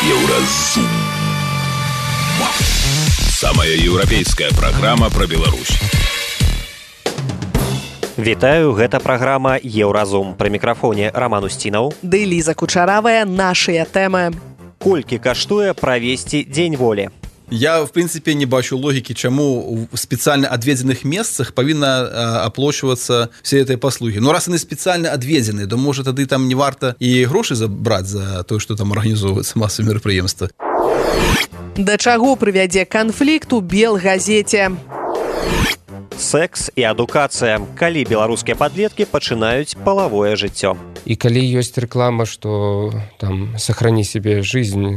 Еўразум. Самая еўрапейская праграма пра Беларусь. Вітаю, гэта праграма «Еўразум». Пры мікрафоне Роман Устінаў. Ды Ліза Кучаравая, нашыя тэмы. Колькі каштуе правесці дзень волі? Я, в принципе, не бачу логікі, чаму в спецыяльна адведзеных месцах павінна аплачвацца все этой паслугі. Ну, раз яны спецыяльна адведзеныя, то, можа, тады там не варта і грошы забраць за тое, што там арганізоўваецца масавыя мерапрыемствы. Да чаго прывядзе канфлікт у Белгазеце? Секс і адукацыя. Калі беларускія падлеткі пачынаюць палавое жыццё? І калі ёсць рэклама, што там сохрані себе жизнь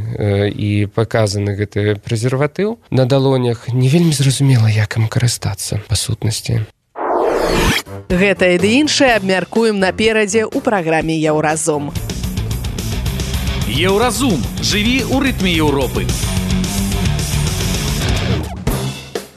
і паказаны гэты прэзерватыў на далонях, не вельмі зразумела, як ім карыстацца па сутнасці. Гэта і ды іншае абмяркуем наперадзе ў праграме «Еўразум». Еўразум. Жыві ў рытме Еўропы.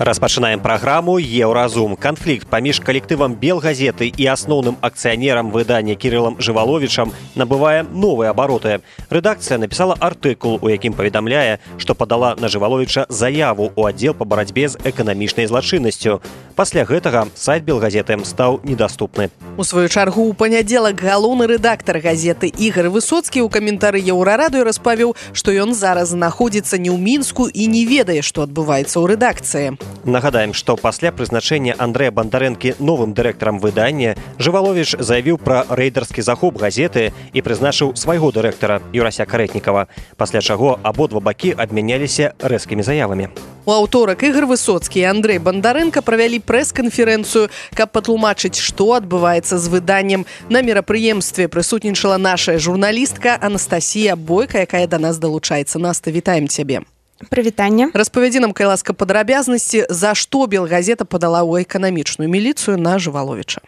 Распачынаем праграму «Еўразум». Канфлікт паміж калектывам Белгазеты і асноўным акцыянерам выдання Кірылам Жываловічам набывае новыя абароты. Рэдакцыя напісала артыкул, у якім паведамляе, што падала на Жываловіча заяву ў аддзел па барацьбе з эканамічнай злачыннасцю. Пасля гэтага сайт Белгазеты стаў недаступны. У сваю чаргу ў панядзелак галоўны рэдактар газеты Ігор Высоцкі ў каментары Еўрарадыё распавёў, што ён зараз знаходзіцца не ў Мінску і не ведае, што адбываецца ў рэдакцыі. Нагадаем, што пасля прызначэння Андрэя Бандарэнкі новым дырэктарам выдання Жываловіч заявіў пра рэйдарскі захоп газеты і прызначыў свайго дырэктара Юрася Карэтнікава, пасля чаго абодва бакі абмяняліся рэзкімі заявамі. У аўторак Ігор Высоцкі і Андрэй Бандарэнка правялі прэс-канферэнцыю, каб патлумачыць, што адбываецца з выданнем. На мерапрыемстве прысутнічала наша журналістка Анастасія Бойка, якая да нас далучаецца. Наста, вітаем цябе. Прывітанне. Распавядзі нам, кай ласка, падрабязнасці, за што Белгазета падала ў эканамічную міліцыю на Жываловіча.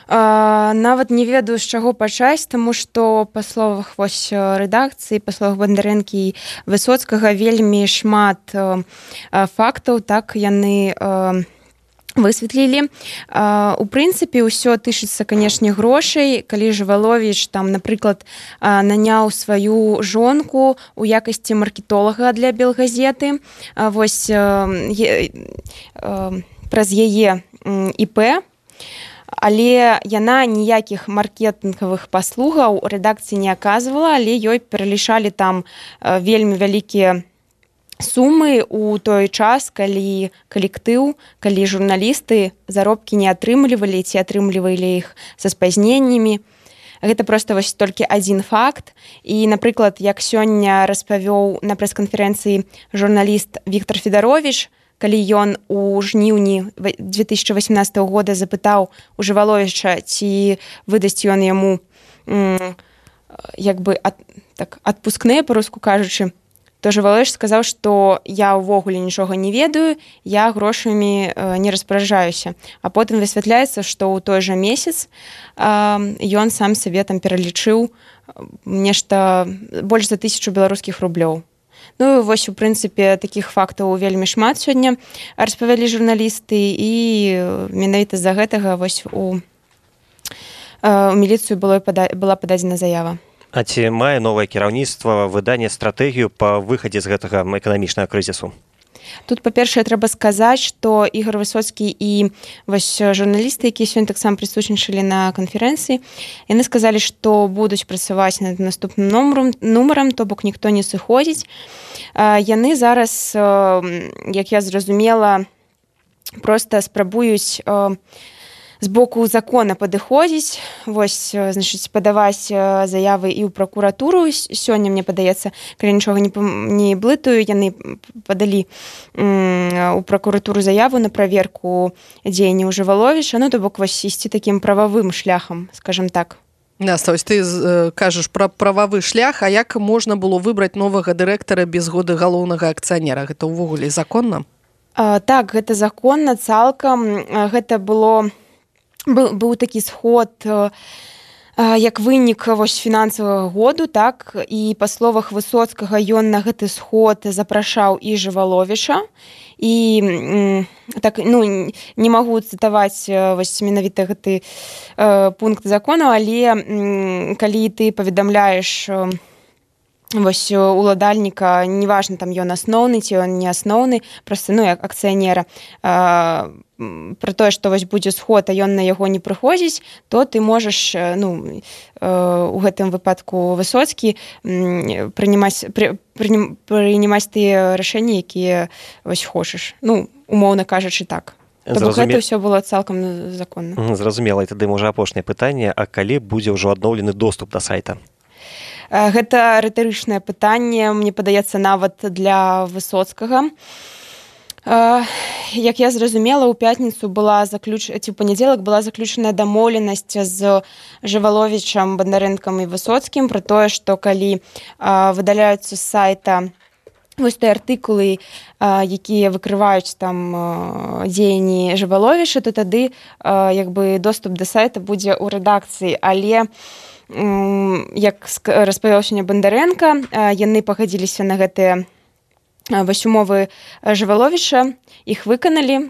Нават не ведаю, з чаго пачаць, таму што па словах рэдакцыі, па словах Бандарэнкі і Высоцкага вельмі шмат фактаў, так яны высветлілі. У прынцыпе, ўсё тычыцца, канешне, грошай. Калі Жываловіч, там, напрыклад, наняў сваю жонку у якасці маркетолага для Белгазеты, вось праз яе ІП, але яна ніякіх маркетынгавых паслугаў рэдакцыі не аказвала, але ёй пералічалі там вельмі вялікія сумы ў той час, калі калектыў, калі журналісты заробкі не атрымлівалі ці атрымлівалі іх са спазненнямі. Гэта проста вось толькі адзін факт. І, напрыклад, як сёння распавёў на прэс-канферэнцыі журналіст Віктор Федаровіч, калі ён у жніўні 2018 года запытаў у Жываловіча, ці выдасць ён яму як бы адпускныя, па-руску кажучы, то Жываловіч сказаў, што я ўвогуле нічога не ведаю, я грошамі не распараджаюся. А потым высвятляецца, што ў той жа месяц ён сам сабе там пералічыў нешта больш за 1000 беларускіх рублёў. Ну, вось, у прынцыпе, такіх фактаў вельмі шмат сёння распавялі журналісты, і менавіта з-за гэтага вось у міліцыю была пададзена заява. А ці мае новае кіраўніцтва выдання стратэгію па выхадзе з гэтага эканамічнага крызісу? Тут, па-першае, трэба сказаць, што Ігор Высоцкі і вось журналісты, якія сёння таксама прысутнічалі на канферэнцыі, яны сказалі, што будуць працаваць над наступным нумарам, то бок ніхто не сыходзіць. Яны зараз, як я зразумела, проста спрабуюць з боку закона падыходзіць, вось, значыць, падаваць заявы і ў пракуратуру. Сёння, мне падаецца, калі нічога не блытаю, яны падалі ў пракуратуру заяву на праверку дзеянняў Жываловіча, ну, то бок, вось, ісці такім прававым шляхам, скажам так. Наста, ось ты кажаш пра прававы шлях, а як можна было выбраць новага дырэктара без згоды галоўнага акцыянера? Гэта ўвогуле законна? Так, гэта законна цалкам. Гэта быў такі сход як вынік вось фінансавага году, так, і па словах Высоцкага ён на гэты сход запрашаў і Жываловіча, і так, ну, не магу цытаваць вось менавіта гэты пункт закону, але калі ты паведамляеш вось уладальніка, неважна, там ён асноўны ці ён не асноўны, проста, ну, як акцыянера, пра тое, што вось будзе сход, а ён на яго не прыходзіць, то ты можаш, ну, у гэтым выпадку Высоцкі прынимаць тыя рашэнні, якія вось хочаш. Ну, умоўна кажучы, так. То бок гэта ўсё было цалкам законна. Зразумела, і тады, можа, апошняе пытанне, а калі будзе ўжо адноўлены доступ да сайта? Гэта рытарычнае пытанне, мне падаецца, нават для Высоцкага. Як я зразумела, у пятніцу ці ў панядзелак была заключаная дамоўленасць з Жываловічам, Бандарэнкам і Высоцкім пра тое, што калі выдаляюцца з сайта вось тыя артыкулы, якія выкрываюць там дзеянні Жываловіча, то тады як бы доступ да сайта будзе ў рэдакцыі, але як распавёў сёння Бандарэнка, яны пагадзіліся на гэтыя вось умовы Жываловіча, іх выканалі,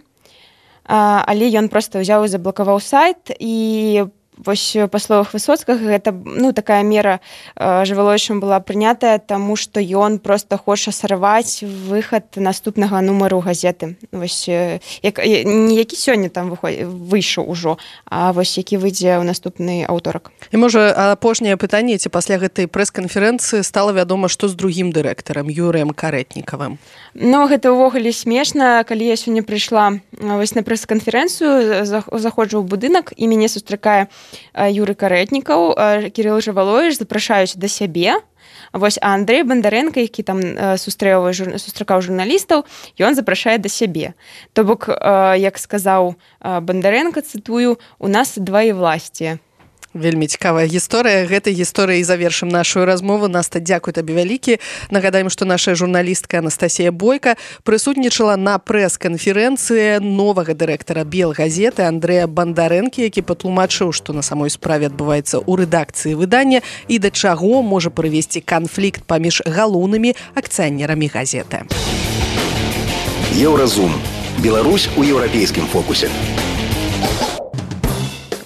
але ён проста ўзяў і заблакаваў сайт, і вось па словах Высоцкага гэта, ну, такая мера Жываловічам была прынятая, таму што ён проста хоча сарваць выхад наступнага нумару газеты. Вось не які сёння там выйшаў ужо, а вось які выйдзе ў наступны аўторак. І можа апошняе пытанне, ці пасля гэтай прэс-канферэнцыі стала вядома, што з другім дырэктарам Юрыем Карэтнікавым? Ну, гэта ўвогуле смешна, калі я сёння прыйшла вось на прэс-канферэнцыю, заходжу ў будынак, і мяне сустракае Юрый Карэтнікаў, Кірыл Жываловіч запрашаюць да сябе. Вось, а Андрэй Бандарэнка, які там сустракаў журналістаў, ён запрашае да сябе. То бок, як сказаў Бандарэнка, цытую, у нас дваевласце. Вельмі цікавая гісторыя. Гэтай гісторыяй завершым нашу размову. Наста, дзякуй табе вялікі. Нагадаем, што наша журналістка Анастасія Бойка прысутнічала на прэс-канферэнцыі новага дырэктара Белгазеты Андрэя Бандарэнкі, які патлумачыў, што на самой справе адбываецца ў рэдакцыі выдання і да чаго можа прывесці канфлікт паміж галоўнымі акцыянерамі газеты. Еўразум. Беларусь у еўрапейскім фокусе.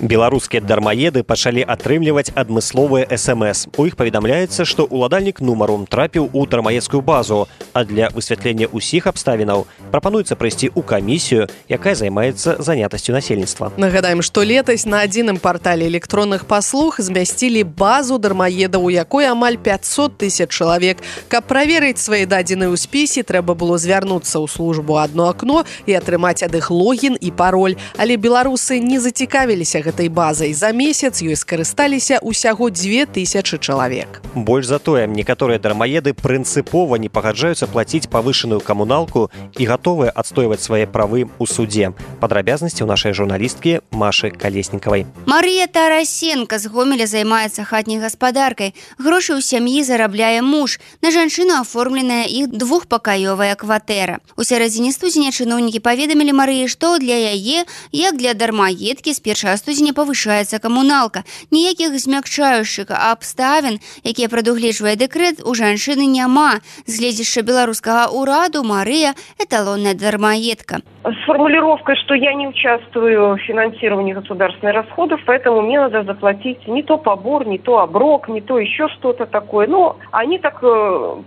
Беларускія дармаеды пачалі атрымліваць адмысловыя СМС. У іх паведамляецца, што ўладальнік нумару трапіў у дармаедскую базу, а для высвятлення ўсіх абставінаў прапануецца прыйсці ў камісію, якая займаецца занятасцю насельніцтва. Нагадаем, што летась на адзіным партале электронных паслуг змясцілі базу дармаедаў, у якой амаль 500 000 чалавек. Каб праверыць свае дадзеныя ў спісе, трэба было звярнуцца ў службу «Адно акно» і атрымаць ад іх логін і пароль. Але беларусы не зацікавіліся гэтай базай. За месяц ёй скарысталіся ўсяго 2000 чалавек. Больш за тое, некаторыя дармаеды прынцыпова не пагаджаюцца плаціць павышаную камуналку і гатовыя адстойваць свае правы ў судзе. Падрабязнасці ў нашай журналісткі Машы Калеснікавай. Марыя Тарасенко з Гомеля займаецца хатняй гаспадаркай. Грошы ў сям'і зарабляе муж. На жанчыну аформленая іх двухпакаёвая кватэра. У сярэдзіне студзеня чыноўнікі паведамілі Марыі, што для яе, як для дармаедкі, з 1 студзеня павышаецца камуналка. Ніякіх змякчаючых абставін, якія прадугледжвае дэкрэт, у жанчыны няма. З гледзяшча беларускага ўраду Марыя – эталонная дармаедка. С формулировкой, что я не участвую в финансировании государственных расходов, поэтому мне надо заплатить не то побор, не то оброк, не то еще что-то такое. Но они так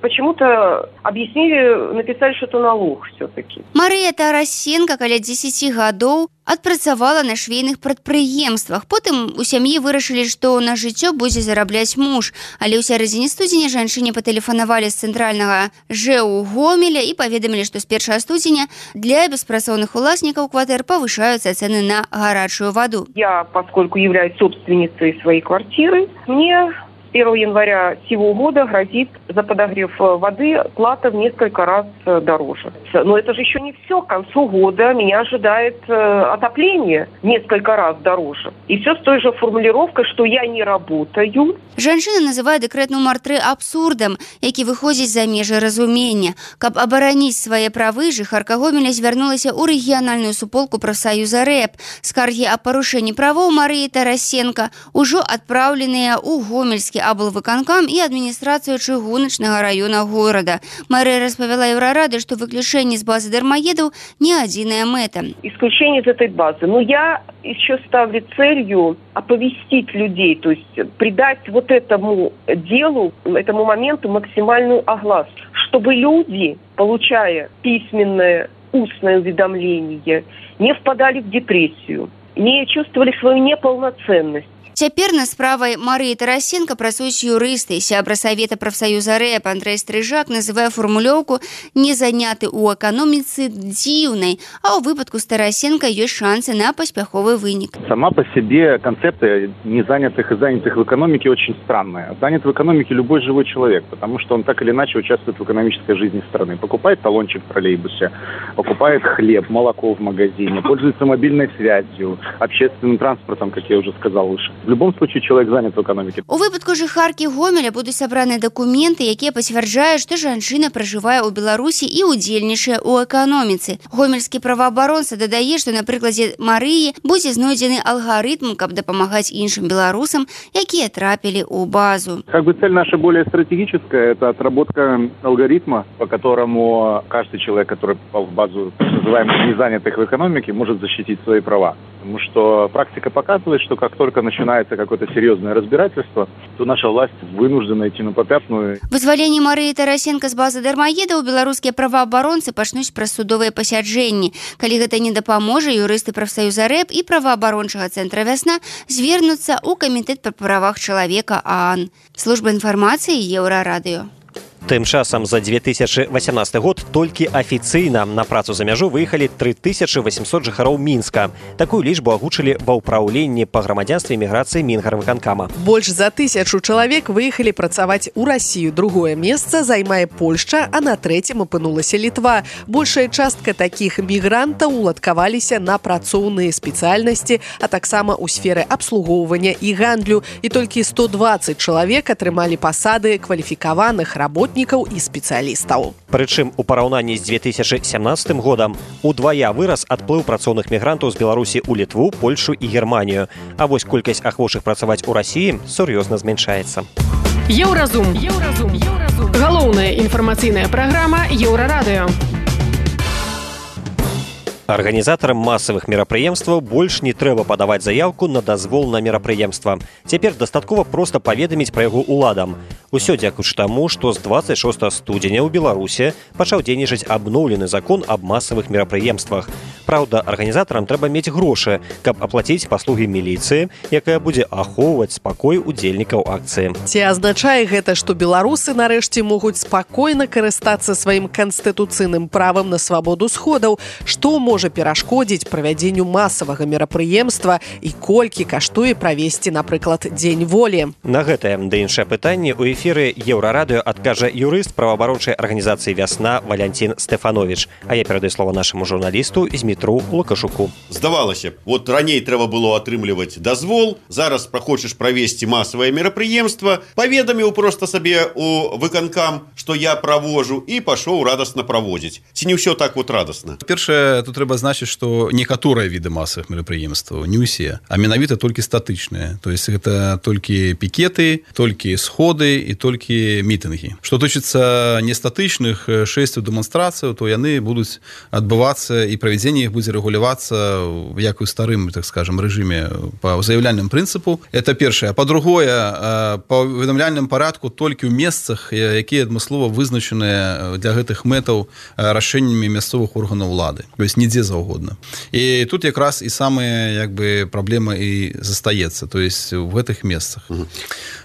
почему-то объяснили, написали, что это налог все-таки. Марыя Тарасенко каля 10 гадоў адпрацавала на швейных прадпрыемствах. Потым у сям'і вырашылі, што на жыццё будзе зарабляць муж. Але ў сярэдзіне студзеня жанчыне патэлефанавалі з цэнтральнага ЖЭУ Гомеля і паведамілі, што з 1 студзеня для беспрацоўных уласнікаў кватэр павышаюцца цены на гарачую ваду. Я, поскольку являюсь собственницей своей квартиры, мне 1 января сего года грозит за подогрев воды плата в несколько раз дороже. Но это же еще не все. К концу года меня ожидает отопление несколько раз дороже. И все с той же формулировкой, что я не работаю. Жанчына называе дэкрэт нумар 3 абсурдам, які выходзіць за межы разумення. Каб абараніць свае правы, жыхарка Гомеля звярнулася ў рэгіянальную суполку прафсаюза РЭП. Скаргі аб парушэнні правоў Марыі Тарасенко ўжо адпраўленыя ў Гомельскі аблвыканкам і адміністрацыю чыгуначнага раёна горада. Мэрыя распавяла Еўрарады, што выключэнне з базы дармаедаў не адзіная мэта. Исключение из этой базы. Но я еще ставлю целью оповестить людей, то есть придать вот этому делу, этому моменту максимальную огласку, чтобы люди, получая письменное, устное уведомление, не впадали в депрессию, не чувствовали свою неполноценность. Цяпер над справай Марыі Тарасенко працуюць юрысты. Сябра Савета прафсаюза РЭП Андрэй Стрыжак называе формулёўку «не заняты ў эканоміцы» дзіўнай, а ў выпадку з Тарасенко ёсць шансы на паспяховы вынік. Сама по себе концепция незанятых и занятых в экономике очень странная. Занят в экономике любой живой человек, потому что он так или иначе участвует в экономической жизни страны. Покупает талончик в троллейбусе, покупает хлеб, молоко в магазине, пользуется мобильной связью, общественным транспортом, как я уже сказал выше. В любом случае человек занят в экономике. У выпадку жыхаркі Гомеля будуць сабраны дакументы, якія пацвярджаюць, што жанчына пражывае ў Беларусі і ўдзельнічае ў эканоміцы. Гомельскі праваабаронца дадае, што на прыкладзе Марыі будзе знойдзены алгарытм, каб дапамагаць іншым беларусам, якія трапілі ў базу. Как бы цель наша более стратегическая, это отработка алгоритма, по которому каждый человек, который попал в базу называемых незанятых в экономике, может защитить свои права. Потому что практика показывает, что как только начинается какое-то серьезное разбирательство, то наша власть вынуждена идти на попятную. Вызваленне Марыі Тарасенко з базы дармаедаў беларускія праваабаронцы пачнуць праз судовыя пасяджэнні. Калі гэта не дапаможа, юрысты прафсаюза РЭП і праваабарончага цэнтра «Вясна» звернуцца ў камітэт па правах чалавека ААН. Служба інфармацыі Еўрарадыё. Тым часам за 2018 год толькі афіцыйна на працу за мяжу выехалі 3800 жыхароў Мінска. Такую лічбу агучылі ва ўпраўленні па грамадзянстве і міграцыі Мінгарвыканкама. Больш за 1000 чалавек выехалі працаваць у Расію. Другое месца займае Польшча, а на трэцім апынулася Літва. Большая частка такіх мігрантаў уладкаваліся на працоўныя спецыяльнасці, а таксама ў сферы абслугоўвання і гандлю. І толькі 120 чалавек атрымалі пасады кваліфікаваных работнікаў і спецыялістаў. Прычым у параўнанні з 2017 годам удвая вырас адплыў працоўных мігрантаў з Беларусі ў Літву, Польшу і Германію. А вось колькасць ахвочых працаваць у Расіі сур'ёзна змяншаецца. Еўразум. Галоўная інфармацыйная праграма Еўрарадыё. Арганізатарам масавых мерапрыемстваў больш не трэба падаваць заяўку на дазвол на мерапрыемства. Цяпер дастаткова проста паведаміць пра яго ўладам. Усё дзякуючы таму, што з 26 студзеня ў Беларусі пачаў дзейнічаць абноўлены закон аб масавых мерапрыемствах. Праўда, арганізатарам трэба мець грошы, каб аплаціць паслугі міліцыі, якая будзе ахоўваць спакой удзельнікаў акцыі. Ці азначае гэта, што беларусы нарэшце могуць спакойна карыстацца сваім канстытуцыйным правам на свабоду сходаў, што можа перашкодзіць правядзенню масавага мерапрыемства і колькі каштуе правесці, напрыклад, дзень волі? На гэтае ды іншае пытанне ў эфіры Еўрарадыё адкажа юрыст праваабарончай арганізацыі «Вясна» Валянцін Стэфановіч. А я перадаю слова нашаму журналісту Змітру Лукашуку. Здавалася б, вот раней трэба было атрымліваць дазвол, зараз хочаш правесці масавае мерапрыемства, паведаміў проста сабе у выканкам, што я правожу, і пашоў радасна праводзіць. Ці не ўсё так вот радасна? Першае, тут трэба значыць, што некаторыя віды масавых мерапрыемстваў, не ўсе, а менавіта толькі статычныя. То есть гэта толькі пікеты, толькі сходы і толькі мітынгі. Што тычыцца нестатычных шэсцяў, дэманстрацыяў, то яны будуць адбывацца і правядзенне іх будзе рэгулявацца як у старым, так скажем, рэжыме па заяўляльным прынцыпу. Это першае. Па-другое, па уведамляльным парадку толькі ў месцах, якія адмыслова вызначаныя для гэтых мэтаў рашэннямі мясцовых органаў улады. То есть нідзе заўгодна. І тут якраз і самая праблема і застаецца, то есть в гэтых месцах.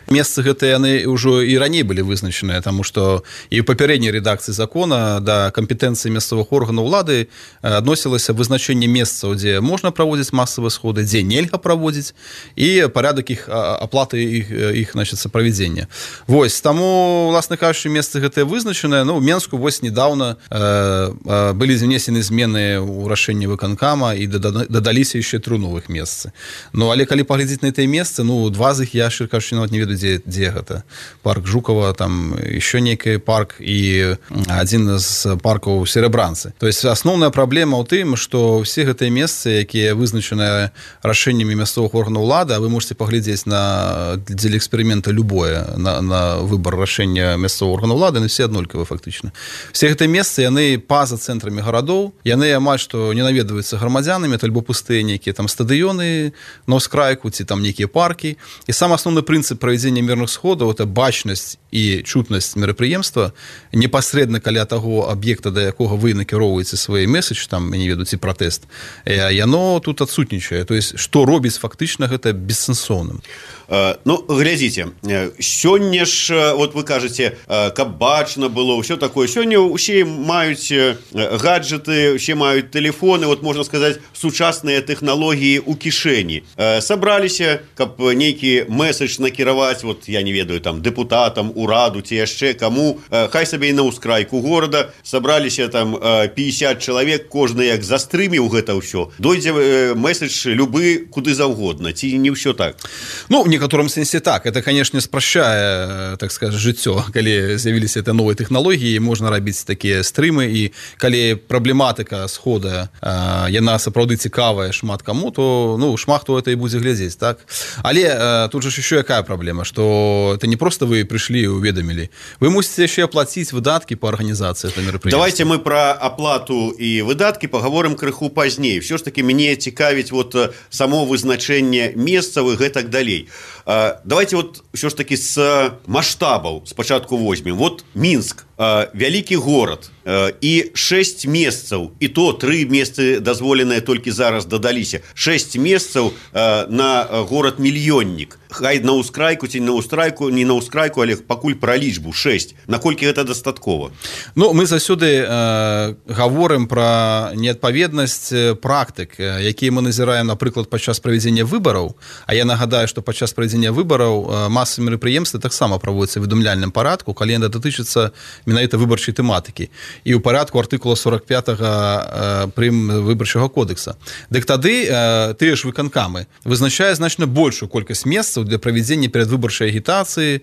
Месцы гэтыя яны ўжо і раней былі вызначаныя, таму што і ў папярэдняй рэдакцыі закона да кампетэнцыі мясцовых органаў улады адносілася вызначэнне месцаў, дзе можна праводзіць масавыя сходы, дзе нельга праводзіць, і парадак іх аплаты іх правядзення. Вось, таму, уласна кажучы, месцы гэтыя вызначаныя. Ну, у Менску вось недавно былі внесены змены ў рашэнні выканкама і дадаліся яшчэ 3 новых месцы. Ну, але калі паглядзець на гэтыя месцы, ну, 2 з іх я, шчыра кажучы, нават не ведаю, дзе гэта парк Жукова, там еще некий парк і один з паркаў Серебранцы. То есть асноўная праблема ў тым, што ўсе гэтыя месцы, якія вызначаныя рашэннямі мясцовых органаў улады, а вы можете паглядзець на дзеля эксперымента любое на выбор рашэння мясцовых органаў улады, на все аднолькавыя фактычна. Все гэтыя месцы, яны па-за цэнтрамі гарадоў, яны амаль што не наведваюцца грамадзянамі, это альбо пустыя нейкія там стадыёны на ўскрайку, ці там нейкія паркі. І сам асноўны прынцып правядзення мірных сходаў — это бачнасць і чутнасць мерапрыемства непасрэдна каля таго аб'екта, да якога вы накіроўваеце свой месседж, там, я не ведаю, ці пратэст, яно тут адсутнічае. То есть, што робіць фактычна гэта бессэнсоўным. Ну, глядзіце, сёння ж, вот вы кажаце, каб бачна было, ўсё такое. Сёння ўсе маюць гаджеты, ўсе маюць тэлефоны, вот можна сказаць, сучасныя тэхналогіі ў кішэні. Сабраліся, каб нейкі месседж накіраваць, вот я не ведаю, там, дэпутатам, ураду ці яшчэ каму, хай сабе і на ўскрайку горада, сабраліся там 50 чалавек, кожны як застрыміў гэта ўсё. Дойдзе месседж любы куды заўгодна, ці не ўсё так? Ну, в некотором сенсе так. Это, конечно, спрашчае, так сказать, жыццё, калі з'явіліся это новыя тэхналогіі, можна рабіць такія стрымы, і калі праблематыка схода яна сапраўды цікавая шмат каму, то ну шмат хто это і будзе глядзець, так? Але тут же еще якая праблема, что это не просто вы пришли и уведомили, вы мусите еще оплатить выдатки по организации этого мероприятия. Давайте мы про оплату и выдатки поговорим крыху пазней. Все ж таки мне цікавіць вот само вызначэнне месцавых и так далей. Давайте вот все ж таки с масштабаў спачатку возьмем. Вот Минск, вялікі город, і 6 месцаў, і то 3 месцы дазволеныя толькі зараз дадаліся. 6 месцаў на город-мільённік. Хай на ўскрайку ці на ўскрайку, не на ўскрайку, але пакуль пра лічбу 6. Наколькі гэта дастаткова? Ну, мы заўсёды гаворым пра неадпаведнасць практык, якія мы назіраем, напрыклад, падчас правядзення выбараў. А я нагадаю, што падчас правядзення выбараў масавыя мерапрыемствы таксама праводзяцца ў паведамляльным парадку, калі яны датычацца менавіта выбарчай тэматыкі. І ў парадку артыкула 45 прым выбарчага кодекса. Дык тады тыя ж выканкамы вызначае значна большую колькасць месцаў для правядзення перадвыбарчай агітацыі,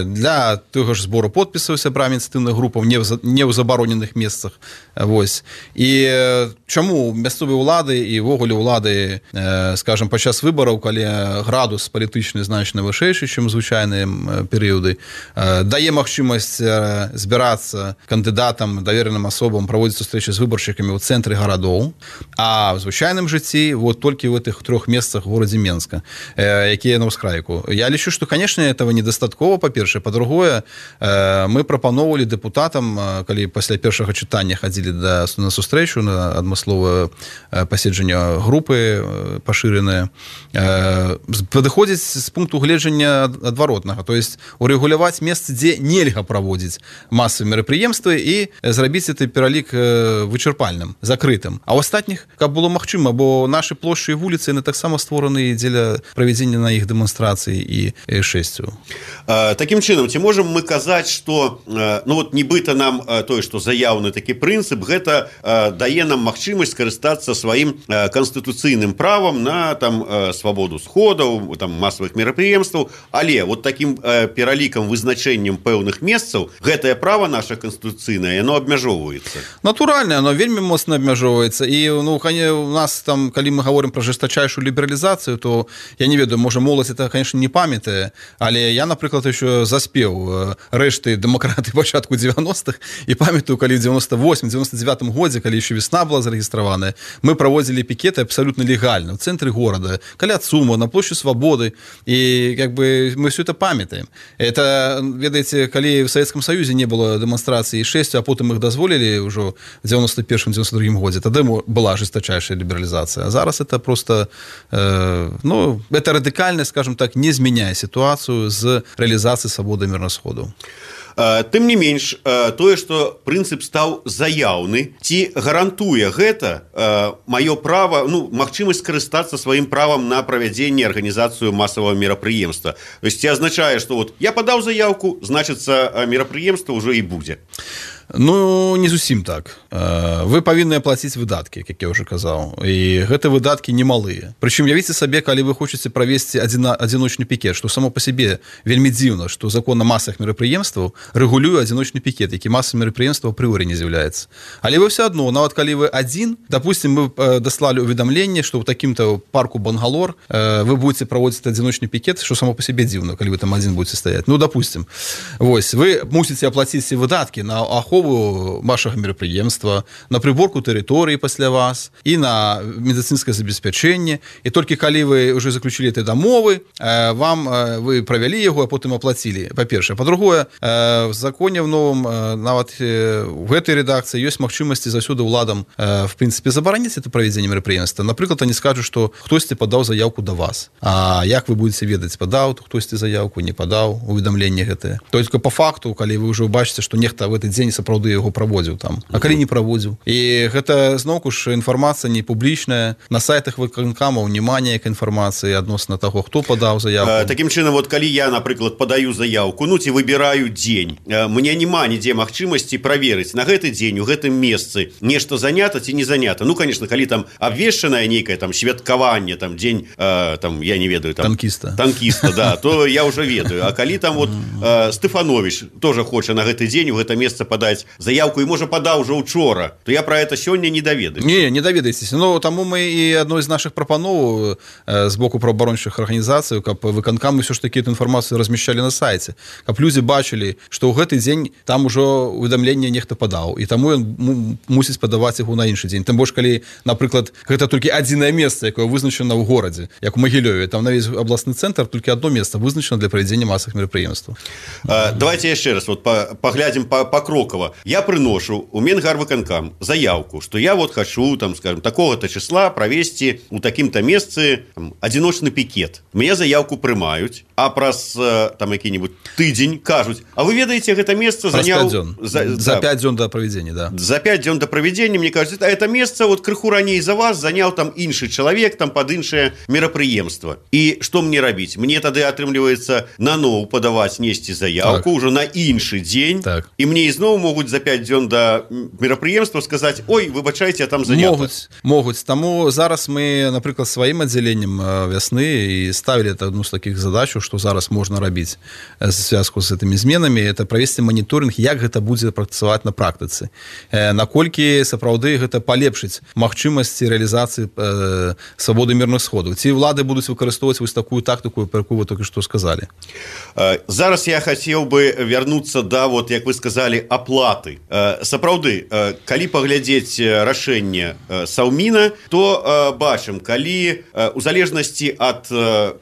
для таго ж збору подпісаў сябрамі ініцыятыўных групаў не ў забароненых месцах. Вось. І чаму мясцовыя ўлады і ўвогуле ўлады, скажем, падчас выбараў, калі градус палітычны значна вышэйшы, чым звычайныя перыяды, дае магчымасць збірацца кандыдатам, давераным асобам, праводзіць сустрэчы з выбаршчыкамі ў цэнтры гарадоў, а в звычайным жыцці вот толькі в этих 3 месцах в горадзе Менска, якія на ўскрайку. Я лічу, что, конечно, этого недастаткова, па-першае. Па-другое, мы прапаноўвалі дэпутатам, калі пасля першага чытання хадзілі на сустрэчу, на адмысловае паседжанне групы пашыранае, падыходзіць з пункту гледжання адваротнага, то есть урэгуляваць месцы, дзе нельга праводзіць масавыя мерапрыемствы і зрабіць гэты пералік вычарпальным, закрытым. А ў астатніх, каб было магчыма, бо нашы плошчы і вуліцы яны таксама створаны дзеля правядзення на іх дэманстрацыі і шэсцю. Такім чынам, ці можам мы казаць, што ну вот нібыта нам тое, што заяўны такі прынцып, гэта дае нам магчымасць скарыстацца сваім канстытуцыйным правам на там свабоду сходаў, там масавых мерапрыемстваў, але вот такім пералікам, вызначэннем пэўных месцаў гэтае права наша канстытуцыйнае, яно абмяжоўваецца. Натуральна, оно вельмі моцна абмяжоўваецца. І ну, у нас там, калі мы гаворым пра жестачайшую лібералізацыю, то я не ведаю, можа моладзь это, конечно, не памятае, але я, напрыклад, еще заспеў рэшты дэмакраты пачатку 90-х і памятаю, калі в 98-99 годзе, калі еще весна была зарэгістраваная, мы праводзілі пікеты абсолютно легальна ў цэнтры горада, каля ЦУМа, на площади Свободы, і как бы мы все это памятаем. Это, ведаеце, калі в Советском Союзе не было дэманстрацыі 6, а потым их дазволілі ўжо в 91-92 годзе, тады была жесточайшая либерализация. А зараз это просто, ну, это радикально, скажем так, не змяняе ситуацию з реализацией свободы мирных сходаў. Тым не менш, тое, што прынцып стаў заяўны, ці гарантуе гэта маё права, ну, магчымасць скарыстацца сваім правам на правядзенне арганізацыю масавага мерапрыемства. То есть, ці азначае, што вот я падаў заяўку, значыцца, мерапрыемства ўжо і будзе. Ну, не зусім так. Вы павінны аплаціць выдаткі, як я ўжо казаў. І гэты выдаткі немалыя. Прычым, явіце сабе, калі вы хочаце правесці адзіночны пікет, што само па сабе вельмі дзіўна, што закон о масавых мерапрыемстваў рэгулюе адзіночны пікет, які масавым мерапрыемствам апрыорі не з'яўляецца. Але вы все адно, нават калі вы адзін, допустим, мы даслалі ўведамленне, што ў такім-то парку Бангалор вы будете праводзіць адзіночны пікет, што само па сабе дзіўна, калі вы там адзін будете стаяць. Ну, допустим, вось, вы мусіце аплаціць выдаткі на ахову вашага мерапрыемства, на прыборку тэрыторыі пасля вас і на медыцынскае забеспячэнне. І толькі калі вы ўжо заключілі этой дамовы, вы правялі яго, а потым аплацілі. Па-першае. Па-другое, в законе в новом, нават в гэтай рэдакцыі ёсць магчымасці заўсёды ўладам, в прынцыпе, забараніць это правядзенне мерапрыемства. Напрыклад, они скажуць, што хтосьці падаў заявку да вас. А як вы будете ведаць, падаў хтосьці заявку, не падаў, уведамленне гэтае. Только по факту, калі вы ўжо бачыце, што нехта в этот дзень сапраўды яго праводзіў там, а калі не праводзіў. І гэта зноўку ж інфармацыя не публічная, на сайтах выканкамаў няма ніякай інфармацыі адносна таго, хто падаў заявку. Такім чынам, вот калі я, напрыклад, падаю заявку, ну ці выбіраю дзень, мне няма нідзе магчымасці праверыць на гэты дзень у гэтым месцы нешта занята ці не занята. Ну, конечно, калі там абвешчанае нейкае там святкаванне, там дзень, там я не ведаю, там танкіста, да, то я уже ведаю. А калі там вот Стефанович тоже хоча на гэты дзень у гэта месца падаць заявку і можа падаў уже учора, то я про это сёння не даведаюсь. Не даведаецеся. Ну, таму мы і адной з нашых прапановаў з боку праваабарончых арганізацый, каб выканкамы ўсё ж такі эту інфармацыю размяшчалі на сайце, каб людзі бачылі, што ў гэты дзень там ужо уведамленне нехта падаў, і таму ён мусіць падаваць яго на іншы дзень. Тым больш, калі, напрыклад, гэта толькі адзінае месца, якое вызначана ў горадзе, як у Магілёве, там на весь абласны цэнтр толькі адно месца вызначана для правядзення масавых мерапрыемстваў. Давайте яшчэ раз вот паглядзім покрокова. Я прыношу у Менгарвыканкам заявку, што я вот хочу, там, скажем, такого-то числа правесці у такім-то месцы адзіночны пікет. Мне заявку прымаюць, а праз там які-нибудь тыдзень кажуць, а вы ведаеце, гэта месца заняў... За 5 дзён да правядзення, да. За 5 дзён да правядзення, мне кажуць, а это месца вот крыху раней за вас заняў там іншы чалавек, там пад іншае мерапрыемства. І што мне рабіць? Мне тады атрымліваецца наноў падаваць, несці заявку ўжо на іншы дзень, і мне ізноў могуць за 5 дзён да мерапрыемства сказаць: ой, выбачайце, там занята. Могуць. Таму зараз мы, напрыклад, сваім аддзяленнем вясны і ставілі адну з такіх задачаў, што зараз можна рабіць в звязку з гэтымі зменамі, это правесці маніторынг, як гэта будзе працаваць на практыцы. Наколькі сапраўды гэта палепшыць магчымасці рэалізацыі свабоды мірных сходаў. Ці ўлады будуць выкарыстоўваць вось такую тактыку, про якую вы толькі што сказалі. Зараз я хацеў бы вярнуцца да, вот, як вы сказалі, аплаты. Сапраўды, калі паглядзець рашэнне Саўміна, то бачым, калі у залежнасці ад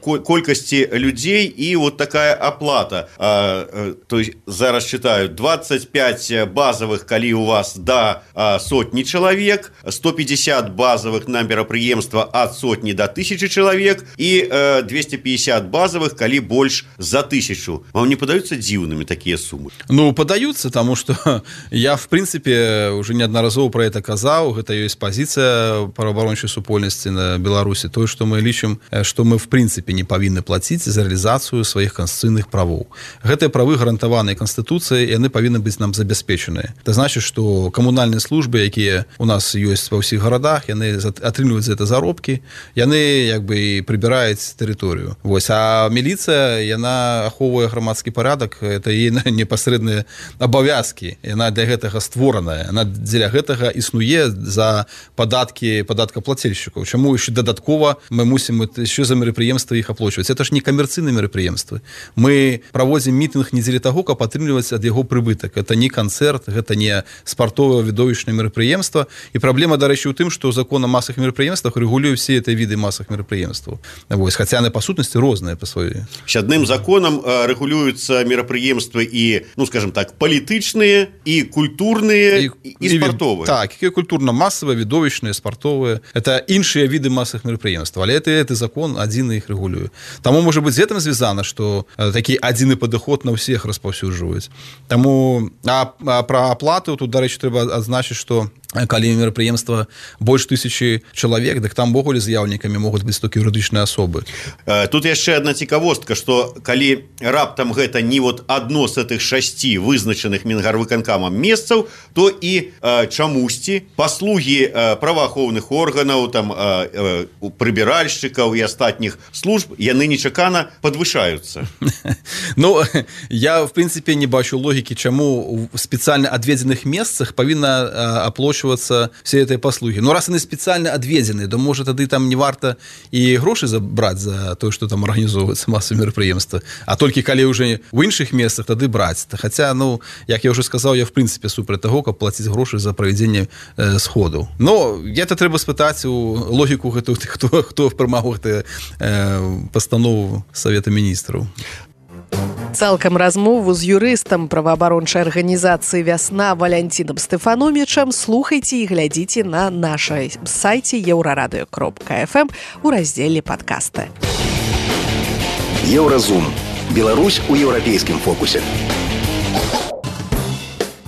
колькасці людзей і вот такая аплата. То есть зараз читаю 25 базовых, калі у вас до сотні чалавек, 150 базовых на мерапрыемства ад сотні до 1000 чалавек і 250 базовых, калі больш за 1000. Вам не падаюцца дзіўнымі такія сумы? Ну, падаюцца, таму што я, в прынцыпе, уже неаднаразова про это казаў, гэта ёсць пазіцыя праваабарончай супольнасці на Беларусі, тое, што мы лічым, што мы, в прынцыпе, не павінны плаціць за рэалізацыю сваіх канстытуцыйных правоў. Гэтыя правы гарантаваныя Канстытуцыяй, яны павінны быць нам забяспечаныя. Это значит, што камунальныя службы, якія у нас ёсць ва ўсіх гарадах, яны атрымліваюць за это заробкі, яны як бы і прыбіраюць тэрыторыю. Вось, а міліцыя, яна ахоўвае грамадскі парадак, это яе непасрэдныя абавязкі, яна для гэтага створаная, яна дзеля гэтага існуе за падаткаплацельшчыкаў. Чаму яшчэ дадаткова мы мусім яшчэ за мерапрыемствы іх аплачваць? Это ж не камерцыйныя мерапрыемствы. Мы праводзім мітынг не дзеля таго, каб атрымліваць ад яго прыбытак. Это не канцэрт, гэта не спартовае відовішчнае мерапрыемства. І праблема, дарэчы, у тым, што закон о масавых мерапрыемствах рэгулюе все эти віды масавых мерапрыемстваў. Вось, хаця яны па сутнасці розныя па сваёй. Адным законам рэгулююцца мерапрыемствы і, ну, скажем так, палітычныя і культурныя і спартовыя. Так, і культурна-масавыя, відовішчныя, спартовыя. Это іншыя віды масавых мерапрыемстваў, але это закон адзін іх рэгулюе. Таму, можа быць, з гэтым звязана, што такі адзіны падыход на ўсіх распаўсюджваюць. Таму, а пра аплату тут, дарэчы, трэба адзначыць, што калі мерапрыемства больш 1000 чалавек, дык там увогуле заяўнікамі могуць быць толькі юрыдычныя асобы. Тут яшчэ одна цікавостка, што калі раптам гэта не вот адно з гэтых 6 вызначаных мінгарвыканкамам месцаў, то і чамусьці паслугі праваахоўных органаў, там прыбіральшчыкаў і астатніх служб, яны нечакана падвышаюцца. Ну, я, в прынцыпе, не бачу логікі, чаму у спецыяльна адведзеных месцах павінна аплачвацца все этой паслуги. Но раз они специально отведены, то может тады там не варта и гроши забрать за то, что там организовывается массовое мероприемство, а только коли уже в іншых местах тады брать. Хотя, ну, як я уже сказал, я в принципе супер того, как платить гроши за проведение сходу. Но это треба спытать у логику, кто прымаў постанову Совета Министров. Цалкам размову з юрыстам праваабарончай арганізацыі «Вясна» Валянцінам Стэфаномічам слухайце і глядзіце на нашай сайце еўрарадыё.фм у раздзеле «Падкасты». Еўразум. Беларусь у еўрапейскім фокусе.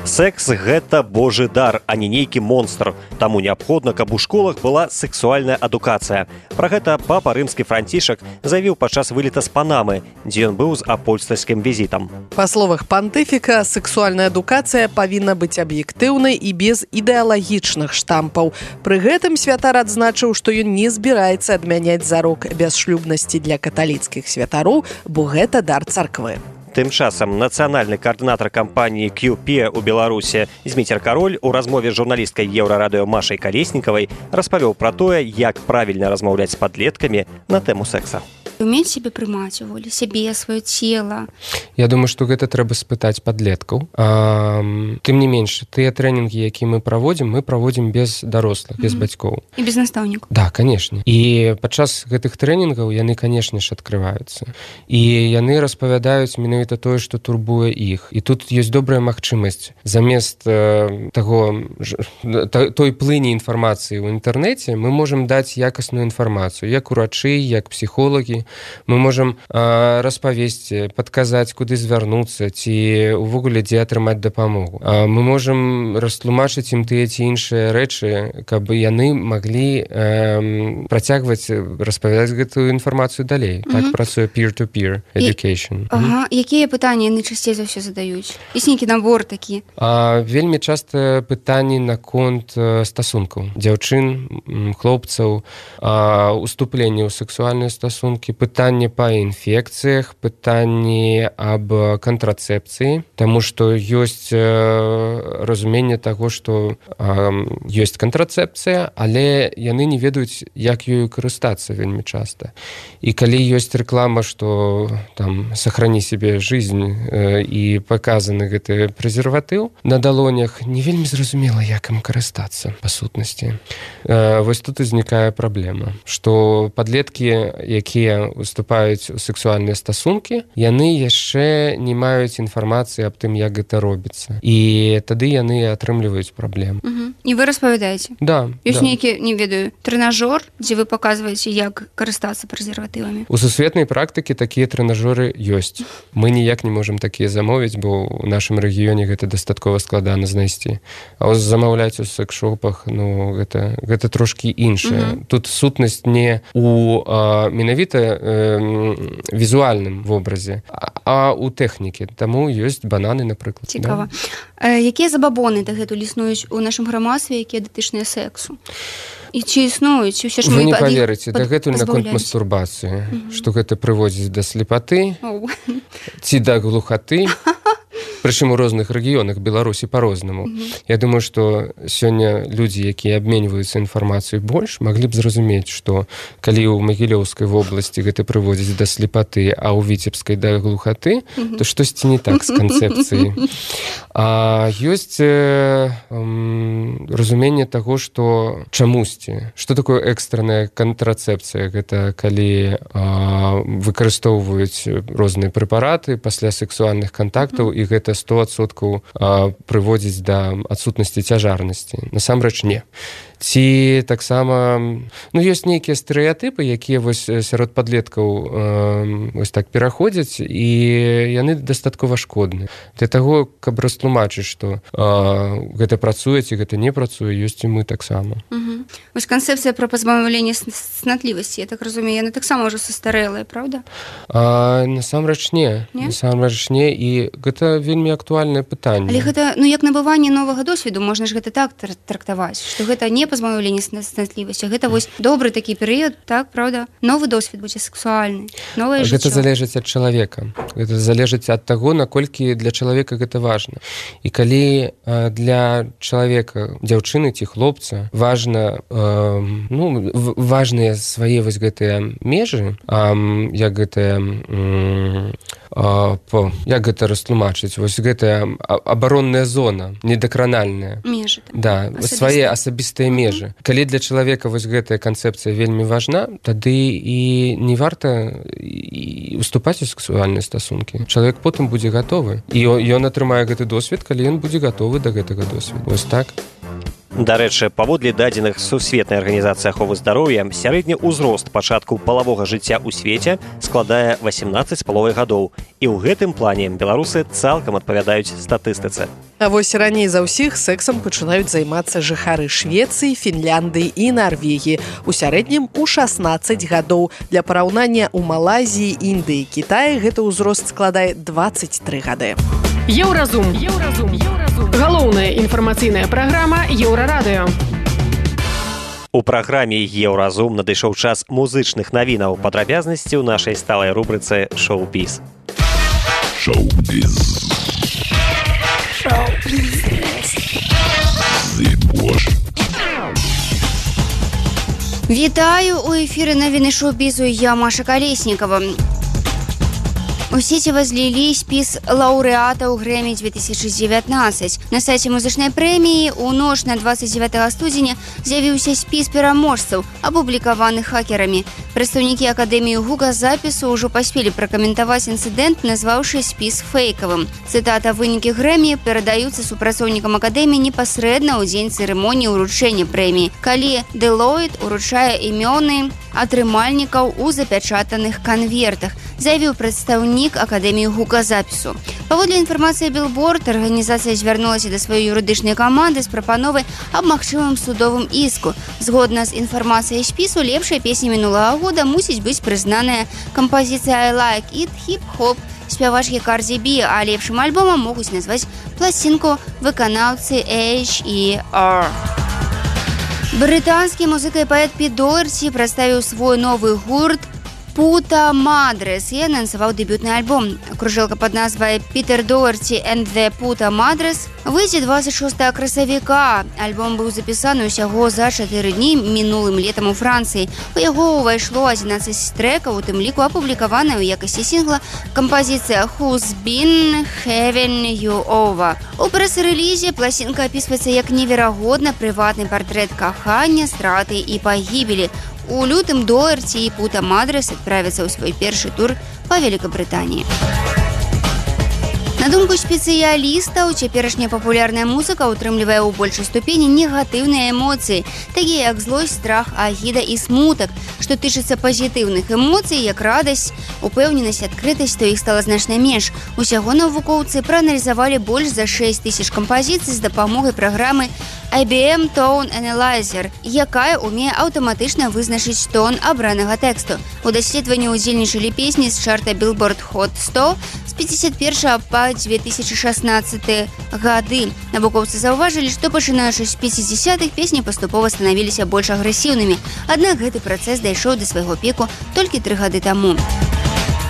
Секс – гэта божы дар, а не нейкі монстр. Таму неабходна, каб у школах была сексуальная адукацыя. Пра гэта папа рымскі Францішак заявіў падчас вылета з Панамы, дзе ён быў з апостальскім візітам. Па словах пантыфіка, сексуальная адукацыя павінна быць аб'ектыўнай і без ідэалагічных штампаў. Пры гэтым святар адзначыў, што ён не збіраецца адмяняць зарок бясшлюбнасці для каталіцкіх святароў, бо гэта дар царквы. Тым часам нацыянальны каардынатар кампаніі QP у Беларусі Зміцер Кароль у размове з журналісткай Еўрарадыё Машай Калеснікавай распавёў пра тое, як правільна размаўляць з падлеткамі на тэму секса. Умець себе прымаць уволі, сябе, сваё цела. Я думаю, што гэта трэба спытаць падлеткаў. Тым не менш, тыя трэнінгі, якія мы праводзім без дарослых, без бацькоў. І без настаўнікаў. Да, канешне. І падчас гэтых трэнінгаў яны, канешне ж, адкрываюцца. І яны распавядаюць менавіта тое, што турбуе іх. І тут ёсць добрая магчымасць. Замест той плыні інфармацыі ў інтэрнэце мы можам даць якасную інфармацыю, як урачы, як псіхолагі. Мы можам распавесці, падказаць, куды звярнуцца, ці увогуле дзе атрымаць дапамогу. Мы можам растлумачыць ім тыя ці іншыя рэчы, каб яны маглі працягваць распавядаць гэтую інфармацыю далей. Так працуе peer-to-peer education. Якія пытанні яны часцей за ўсё задаюць? Ёсць нейкі набор такі? Вельмі часта пытанні наконт стасункаў. Дзяўчын, хлопцаў, уступленне ў сексуальныя стасункі, пытанне па інфекцыях, пытанні аб кантрацэпцыі, таму што ёсць разуменне таго, што ёсць кантрацэпцыя, але яны не ведаюць, як ёю карыстацца вельмі часта. І калі ёсць рэклама, што там сохрани себе жизнь і паказаны гэты прэзерватыў на далонях, не вельмі зразумела, як ім карыстацца па сутнасці. Вось тут узнікае праблема, што падлеткі, якія уступаюць у сексуальныя стасункі, яны яшчэ не маюць інфармацыі аб тым, як гэта робіцца. І тады яны атрымліваюць праблем. І вы распавядаеце? Да. Ёсць нейкі, не ведаю, трэнажор, дзе вы паказваеце, як карыстацца прэзерватывамі? У сусветнай практыкі такія трэнажоры ёсць. Мы ніяк не можам такія замовіць, бо ў нашым рэгіёне гэта дастаткова складана знайсці. А вось замаўляць у секс-шопах, ну, гэта трошкі іншае. Тут сутнасць не у менавіта візуальным вобразе, а ў тэхнікі. Таму ёсць бананы, напрыклад. Цікава. Якія забабоны дагэтуль існуюць у нашым грамадстве, якія датычныя сексу? І ці існуюць? Вы не паверыце, дагэтуль наконт мастурбацыі, што гэта прыводзіць да слепаты ці да глухаты. Прычым у розных рэгіёнах Беларусі па-рознаму. Я думаю, што сёння людзі, якія абменьваюцца інфармацыяй больш, маглі б зразумець, што калі ў Магілёўскай вобласці гэта прыводзіць да слепаты, а ў Віцебскай да глухаты, то штосьці не так з канцэпцыяй. А ёсць разуменне таго, што чамусьці. Што такое экстранная кантрацэпцыя? Гэта калі выкарыстоўваюць розныя прэпараты пасля сексуальных кантактаў, і гэта 100% прыводзіць да адсутнасці цяжарнасці. Насамрэч не. ці таксама ёсць нейкія стэрэатыпы, якія вось сярод падлеткаў вось так пераходзяць, і яны дастаткова шкодныя. Для таго, каб растлумачыць, што гэта працуе ці гэта не працуе, ёсць і мы таксама. Вось канцэпцыя пра пазбаўленне цнатлівасці, я так разумею, яна таксама ўжо састарэлая, правда? Насамрэч не. Насамрэч не, і гэта вельмі актуальнае пытанне. Але гэта, як набыванне новага досведу, можна ж гэта так трактаваць, што гэта не пазбаўленне цнатлівасці, гэта вось добры такі перыяд, так, правда? Новы досвед будзе сексуальны, новае жыццё. Гэта залежыць ад чалавека. Гэта залежыць ад таго, наколькі для чалавека гэта важна. І калі для чалавека, дзяўчыны ці хлопца важна важныя свае вось гэтыя межы, як гэта растлумачыць, вось гэтая абаронная зона, недакранальная. Межы. Да, свае асабістыя межы. Калі для чалавека вось гэтая канцэпцыя вельмі важна, тады і не варта уступаць у сексуальныя стасункі. Чалавек потым будзе гатовы. І ён атрымае гэты досвед, калі ён будзе гатовы да гэтага досведу. Вось так. Дарэчы, паводле дадзеных Сусветнай арганізацыі аховы здароўя, сярэдні ўзрост пачатку палавога жыцця ў свеце складае 18 з паловай гадоў. І ў гэтым плане беларусы цалкам адпавядаюць статыстыцы. А вось раней за ўсіх сэксам пачынаюць займацца жыхары Швецыі, Фінляндыі і Нарвегіі. У сярэднім у 16 гадоў. Для параўнання ў Малайзіі, Індыі, Кітаі гэты ўзрост складае 23 гады. Еўразум. Галоўная інфармацыйная праграма Еўрарадыё. У праграме «Еўразум» надышоў час музычных навінаў. Падрабязнасці ў нашай сталай рубрыцы «Шоу-біз». Вітаю, у эфіры навіны шоу-бізу, я Маша Колеснікова. У сеці возлілі спіс лаўрэатаў Грэмі 2019. На сайце музычнай прэміі ў ноч на 29 студзеня з'явіўся спіс пераможцаў, апублікаваных хакерамі. Прадстаўнікі Акадэміі гуказапісу ўжо паспелі пракаментаваць інцыдэнт, назваўшы спіс фэйкавым. Цытата: «Вынікі Грэмі перадаюцца супрацоўнікам Акадэміі непасрэдна ў дзень цырымоніі ўручэння прэміі, калі Deloitte уручае імёны атрымальнікаў у запячатаных канвертах», заявіў прадстаўнік Акадэміі гуказапісу. Паводле інфармацыі Billboard, арганізацыя звярнулася да сваёй юрыдычнай каманды з прапановай аб магчымым судовым іску. Згодна з інфармацыяй спісу, лепшай песня мінулага года мусіць быць прызнаная кампазіцыя «I Like It» хіп-хоп спявачкі Cardi B, а лепшым альбомам могуць назваць пласцінку выканаўцы H.E.R. Брытанскі музыка і паэт Піт Доерці прадставіў свой новы гурт «Puta Madres» і анансаваў дэбютны альбом. Кружэлка пад назвай «Peter Doherty and the Puta Madres» выйдзе 26 красавіка. Альбом быў запісаны ўсяго за 4 дні минулым летам у Францыі. У яго ўвайшло 11 трэкаў, у тым ліку апублікаваная ў якасці сінгла кампазіцыя «Who's Been Having You Over». У прэс-рэлізе пласінка апісваецца як неверагодна прыватны партрэт кахання, страты і пагібелі. У лютым Доерці і Puta Madres адправяцца ў свой першы тур па Великабрытаніі. На думку спецыялістаў, цяперашняя папулярная музыка утрымлівае ў большай ступені негатыўныя эмоцыі, такія як злосць, страх, агіда і смутак. Што тычыцца пазітыўных эмоцый, як радасць, упэўненасць, адкрытасць, то іх стала значна менш. Усяго навукоўцы прааналізавалі больш за 6 000 кампазіцый з дапамогай праграмы IBM Tone Analyzer, якая умее аўтаматычна вызначыць тон абранага тэксту. У даследаванні ўдзельнічалі песні з чарта Billboard Hot 100 з 51 па 2016 гады. Навукоўцы заўважылі, што пачынаючы з 50-х песні паступова станавіліся больш агрэсіўнымі. Аднак гэты працэс дайшоў да свайго піку толькі 3 гады таму.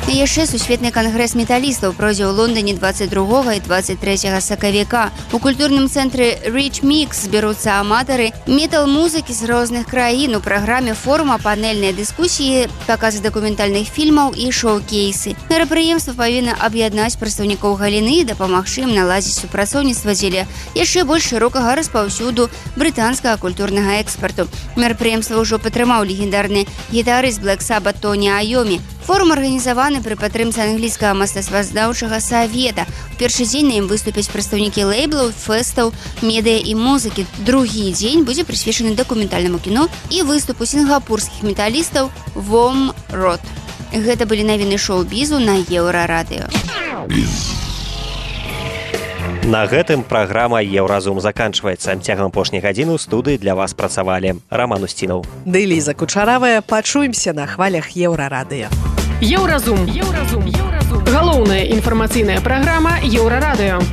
Яшчэ сусветны кангрэс металістаў пройдзе ў Лондоне 22 і 23 сакавіка. У культурным цэнтры Rich Mix зберуцца аматары метал-музыкі з розных краін. У праграме форума панельныя дыскусіі, паказы дакументальных фільмаў і шоу-кейсы. Мерапрыемства павінна аб'яднаць прадстаўнікоў галіны і дапамагчы ім наладзіць супрацоўніцтва дзеля яшчэ больш шырокага распаўсюду брытанскага культурнага экспарту. Мерапрыемства ўжо падтрымаў легендарны гітарыст Black Sabbath Тоні Айомі. Форум арганізаваны пры падтрымцы англійскага мастацтвазнаўчага савета. У першы дзень на ім выступяць прадстаўнікі лейблаў, фэстаў, медыа і музыкі. Другі дзень будзе прысвечаны дакументальнаму кіно і выступу сінгапурскіх металістаў Vom Rot. Гэта былі навіны шоу-бізу на Еўрарадыё. На гэтым праграма «Еўразум» заканчваецца. Цягам апошняй гадзіны ў студыі для вас працавалі Роман Устінаў. Ды Ліза Кучаравая. Пачуемся на хвалях Еўрарадыё. Еўразум. Галоўная інфармацыйная праграма Еўрарадыё.